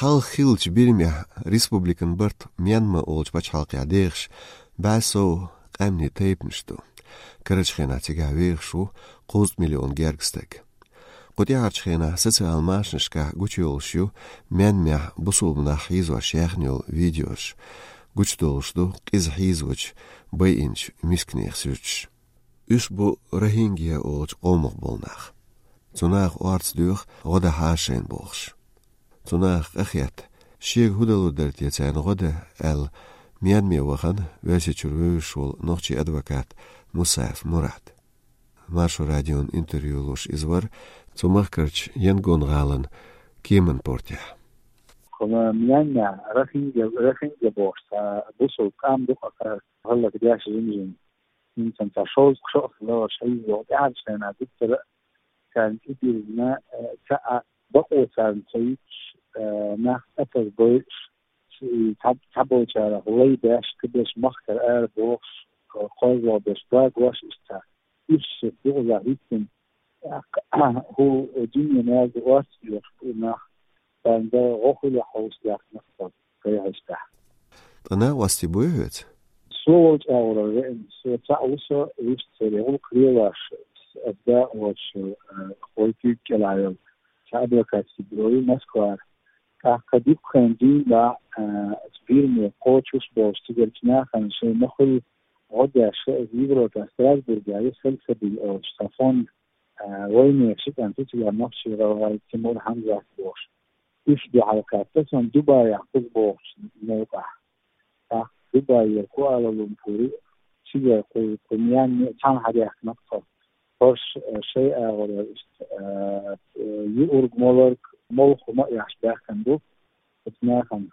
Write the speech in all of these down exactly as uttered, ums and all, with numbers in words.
Кхалха хиллача Бирмехь республикан барт Мьянма олуча пачхьалкхехь дехаш бӀаь сов къаьмнийн тайпанаш ду. Карарчу хенахь цигахь вехаш ву кхузткъа миллион гергга стаг. Кху тӀаьхьарчу хенахь социал машанашкахь гучуйолуш ю Мьянмехь бусулба нах хьийзош яьхна йолу видеош. Гучудолуш ду къиза хьийзочу байинчу мисканийн суждаш. Уьш бу Рохингья олучу къомах болу нах. Цу наха орца доьху гӀо дан хьажа шайна бохуш. Цу наха къахетта, шега хӀун далур дара те царна гӀо дан аьлла, Мьянме вахана Оьрсийчуьра вевзаш волу нохчийн адвокат Мусаев Мурад. Маршо радион интервью луш иза вара цу махкарчу Янгон гӀалин кеман портехь. Кхуна Мьянме Рохингья, Рохингья бохуш цхьа бусулба къам ду-кх, хӀаллакдеш жим-жим. ХӀинца цхьа шовзткъа шо а хилла, шайга йогӀу тӀаьхьарчу хенахь дуккха а царна тӀедиллина, э, цхьа а бакъо царна ца юьтуш, э, нах тӀепаза бойуш, и цхьа-, цхьаболчарах лай беш, кхиберш махкара ара бохуш, э, кхозлагӀа берш багош, иштта цхьа уьш шех юкъаза хӀиттина, тӀаккха хӀу дуьненан язда орца доьхуш бу и нах, царна дан гӀо хуьлу хьовса лаьцна нах ца гайхьаштахь. Ткъа накъостий буй хьоьца? Со волчу агӀорара веана, со цхьаъ ву со, вуьшта церан гӀуллакх лелош, ас дакъа воцуш, э, вай куьйга кӀелахь йолу цхьа адвокатский бюро ю Москвара. ТӀаккха дуккха хан дуьйна, э, Бирме кхочуш болуш цигарчу нахана шайн ма хуьллу гӀо деш, Европа Страсбургехь ю Сальсабиль олуш цхьа фонд, э, вайнехан ши кӀант ю цигахь, нохчийн гӀалгӀай Тимур, Хьамзат бохуш. Уьш дуьхьал кхаьчна суна Дубаях кхуза бохучу новкъахь. ТӀаккха Дубайера Куала-Лумпуре, цигара кху, кху Мьянме цхьаьна хьадаьхкина тхо. ХӀорш, э, шайн агӀор иштта, э, э, юург, моларг, молха хӀума а еш баьхкина бу оцу нахана.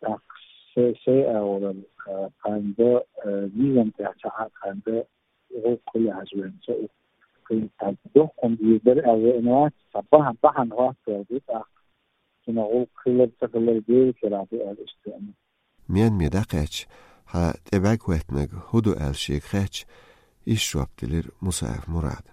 ТӀаккха шай-, шайн агӀор, э, кхарна дан, э, низам тӀехь ца Ӏа кхарна дан, гӀуллакх хуьлу хьажа вайна со у. Кхин цхьа доккха хӀума дийр дара аьлла веана вац, цхьа бахьана, бахьана хӀоттор ду тӀаккха. Цунах гӀуллакх хилар, ца хилар Делан карахь ду аьлла иштта веана. Мьянме дӀакхаьчча, хьан тӀе бӀаьрг хӀоьттинарг хӀун ду аьлла шега хаьттича, иштта жоп делира Мусаев Мурада.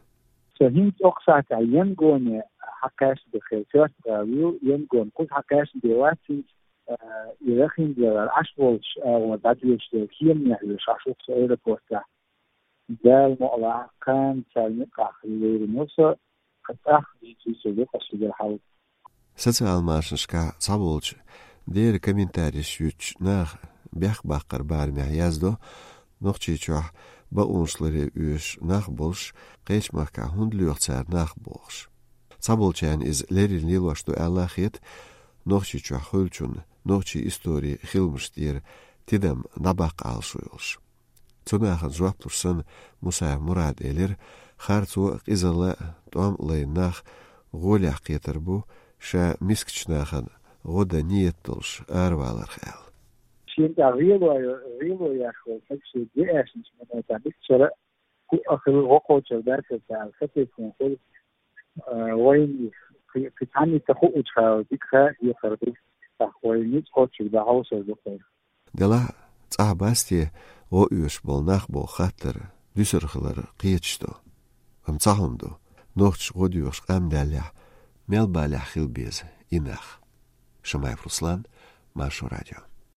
Со хӀинца окху сахьтехь Янгоне хьакхаьчна бен хир, коьрта гӀала ю, Янгон кхуза хьакхаьчна бен вац хӀинца, а, и Рохингья гӀала Ӏаш волчу агӀор дӀадоьдуш дерг кеманехь веш Ӏаш ву-кх со аэропортехь. Дала мукъ лахь, кхана царна юкъахь хила лерина ву со, кхин цӀахь дийцина со юкъа шигара хьал. Социал машанашкахь цхьаболчу дера комментареш юьттучу наха бехк баккхар барамехь яздо, Нохчийчохь бакъонаш ларъян оьшуш нах болуш, кхечу махкахь хӀунда лоьху цара нах бохуш. Цхьаболчарна иза леррина лелош ду аьлла а хета, Нохчийчохь хуьлучунна нохчийн историн хиламаш тӀера тидам дӀабаккха Ӏалашо йолуш. Цу нахана жоп луш санна, Мусаев Мурада элира, харцо а, къизалла а, тӀом а лайна нах гӀолехь кхетар бу, ша мискачу нахана гӀо дан нийят долуш араваларх аьлла. Шена тӀехь гӀело, гӀело еш волу стаг шен де аьшначу минотехь мискачара а хӀуъа хила, гӀо кхочур дац аса аьлла, сатийсина хуьлу, а, вайна кхи-, кхин цхьанне ца хуучу хенахь дика хан а дехар ду, тӀаккха вай ницкъ кхоччург дӀахьовсур ду-кх вай. Делахь а цӀахь бац те гӀо оьшуш болу нах боху хаттар дуьсур хилар кхеташ ду. Амма цхьа хӀума ду, нохчаша гӀо доьхуш къам даьллехь, мел балехь хила беза и нах. Шамаев Руслан, Маршо радио.